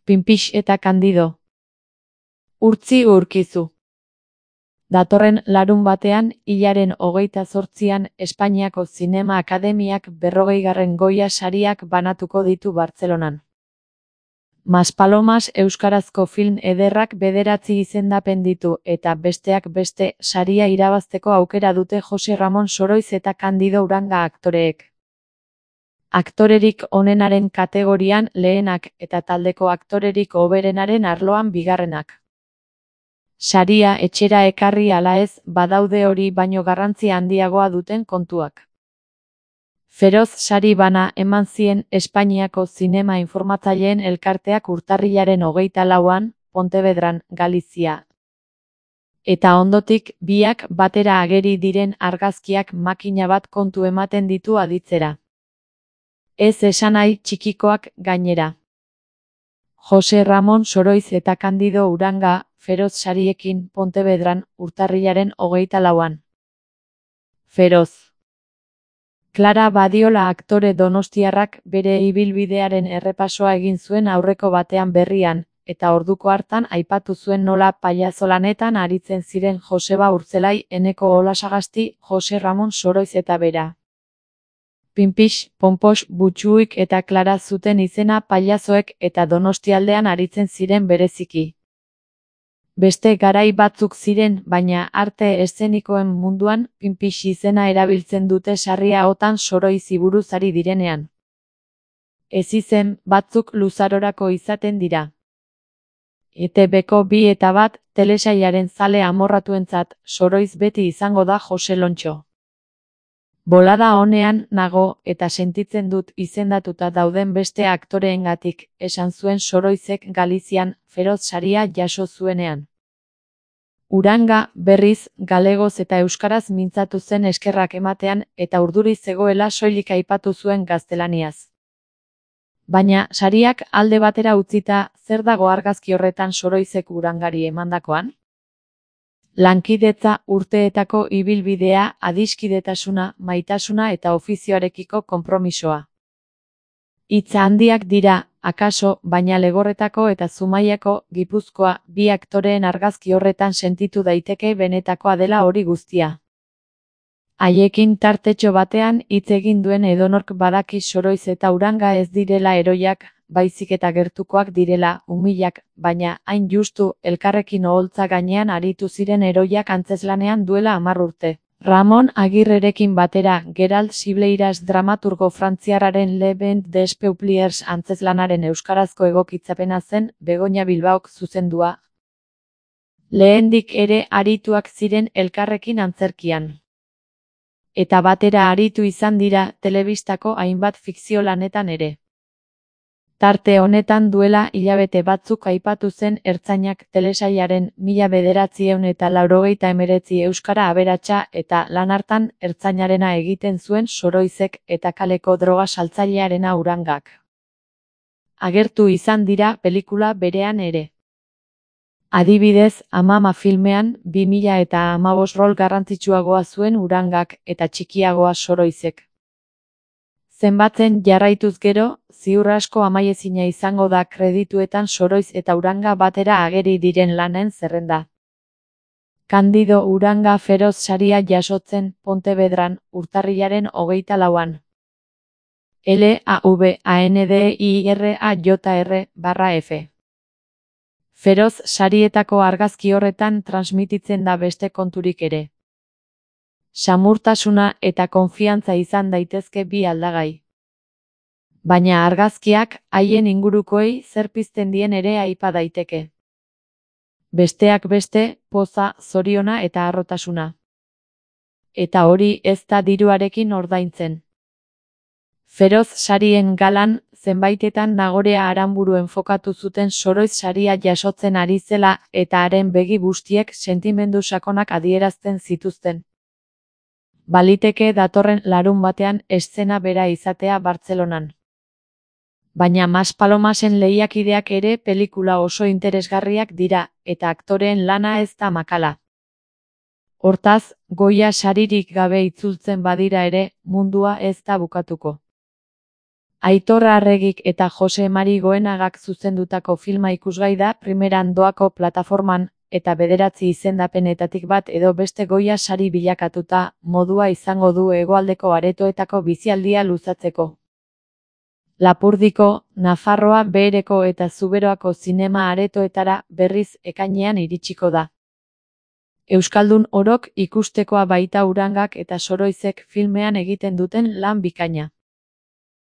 Pinpix eta Candido. Urtzi urkizu. Datorren larunbatean, hilaren 28an, Espainiako Zinema Akademiak 40. Goya sariak banatuko ditu Bartzelonan. Maspalomas euskarazko film ederrak 9 izendapen ditu eta besteak beste saria irabazteko aukera dute Jose Ramon Soroiz eta Candido Uranga aktoreek. Aktorerik onenaren kategorian lehenak eta taldeko aktorerik hoberenaren arloan bigarrenak. Saria etxera ekarri ala ez, badaude hori baino garrantzi handiagoa duten kontuak. Feroz sari bana eman zien Espainiako Zinema Informatzaileen Elkarteak urtarrilaren 24an, Pontevedran, Galizia. Eta ondotik, biak batera ageri diren argazkiak makina bat kontu ematen ditu aditzera. Ez esanahi txikikoak gainera. Jose Ramon Soroiz eta Candido Uranga, Feroz sariekin Pontevedran urtarrilaren 24an. Feroz. Clara Badiola aktore donostiarrak bere ibilbidearen errepasoa egin zuen aurreko batean berrian, eta orduko hartan aipatu zuen nola paiazolanetan aritzen ziren Joseba Urtzelai, Eneko Olasagasti, Jose Ramon Soroiz eta bera. Pinpix, Ponpos, Butxuik eta Clara zuten izena pailazoek eta Donostialdean aritzen ziren bereziki. Beste garai batzuk ziren, baina arte eszenikoen munduan Pinpix izena erabiltzen dute sarriagotan Soroizi buruz ari direnean. Ez izen batzuk luzarorako izaten dira. ETBko 2 eta 1 telesailaren zale amorratuentzat Soroiz beti izango da Jose Lontxo. Bolada honean nago eta sentitzen dut izendatuta dauden beste aktoreengatik, esan zuen Soroizek Galizian Feroz saria jaso zuenean. Uranga, berriz, galegoz eta euskaraz mintzatu zen eskerrak ematean eta urduri zegoela soilik aipatu zuen gaztelaniaz. Baina, sariak alde batera utzita, zer dago argazki horretan Soroizek Urangari emandakoan? Lankidetza, urteetako ibilbidea, adiskidetasuna, maitasuna eta ofizioarekiko konpromisoa. Hitz handiak dira, akaso, baina Legorretako eta Zumaiako, Gipuzkoa, 2 aktoreen argazki horretan sentitu daiteke benetakoa dela hori guztia. Haiekin tartetxo batean hitz egin duen edonork badaki Soroiz eta Uranga ez direla heroiak, baizik eta gertukoak direla, umilak, baina, hain justu, elkarrekin oholtza gainean aritu ziren heroiak antzezlanean duela 10 urte. Ramon Agirrerekin batera, Gerald Sibleiras dramaturgo frantziarraren Le Vent des Peupliers antzezlanaren euskarazko egokitzapena zen Begoña Bilbaok zuzendua. Lehendik ere arituak ziren elkarrekin antzerkian. Eta batera aritu izan dira telebistako hainbat fikzio lanetan ere. Tarte honetan duela hilabete batzuk aipatu zen Ertzainak telesailaren 1989 euskara aberatsa eta lan hartan Ertzainarena egiten zuen Soroizek eta kaleko droga saltzailearena Urangak. Agertu izan dira pelikula berean ere. Adibidez, Amama filmean 2015 rol garrantzitsuagoa zuen Urangak eta txikiagoa Soroizek. Zenbatzen jarraituz gero, ziur asko amaiezina izango da kredituetan Soroiz eta Uranga batera ageri diren lanen zerrenda. Candido Uranga Feroz saria jasotzen Pontevedran urtarrilaren 24an. LAVANDIRAJR/F. Feroz sarietako argazki horretan transmititzen da beste konturik ere. Samurtasuna eta konfiantza izan daitezke bi aldagai. Baina argazkiak haien ingurukoei zer pizten dien ere aipa daiteke. Besteak beste, poza, zoriona eta harrotasuna. Eta hori ez da diruarekin ordaintzen. Feroz sarien galan, zenbaitetan Nagorea Aranburu enfokatu zuten Soroiz saria jasotzen ari zela eta haren begi bustiek sentimendu sakonak adierazten zituzten. Baliteke datorren larunbatean eszena bera izatea Bartzelonan. Baina Maspalomasen lehiakideak ere pelikula oso interesgarriak dira, eta aktoreen lana ez da makala. Hortaz, Goya saririk gabe itzultzen badira ere, mundua ez da bukatuko. Aitor Arregik eta Jose Mari Goenagak zuzendutako filma ikusgai da primeran doako plataforman, eta 9 izendapenetatik bat edo beste Goya sari bilakatuta, modua izango du hegoaldeko aretoetako bizialdia luzatzeko. Lapurdiko, Nafarroa Behereko eta Zuberoako zinema aretoetara berriz ekainean iritsiko da. Euskaldun orok ikustekoa baita Urangak eta Soroizek filmean egiten duten lan bikaina.